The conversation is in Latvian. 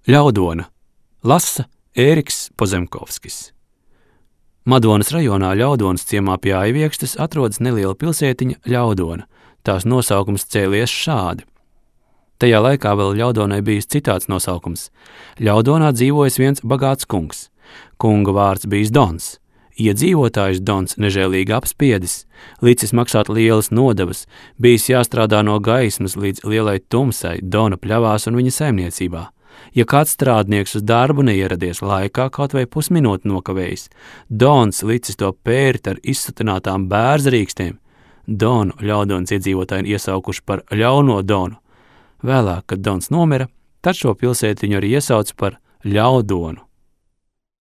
Ļaudona lasa Ēriks Pozemkovskis. Madonas rajonā Ļaudonas ciemā pie Aiviekštes atrodas neliela pilsētiņa Ļaudona. Tās nosaukums cēlies šādi. Tajā laikā vēl Ļaudonai bijis citāds nosaukums. Ļaudonā dzīvojas viens bagāts kungs. Kunga vārds bijis Dons. Iedzīvotājs Dons nežēlīgi apspiedis, licis maksāt lielas nodevas, bijis jāstrādā no gaismas līdz lielai tumsai Dona pļavās un viņa saimniecībā. Ja kāds strādnieks uz darbu neieradies laikā, kaut vai pusminūti nokavējis, Dons licis to pērt ar izsutinātām bērzrīkstiem. Donu Ļaudonas iedzīvotāji iesaukuši par Ļauno Donu. Vēlāk, kad Dons nomira, tad šo pilsētiņu arī iesauca par Ļaudonu.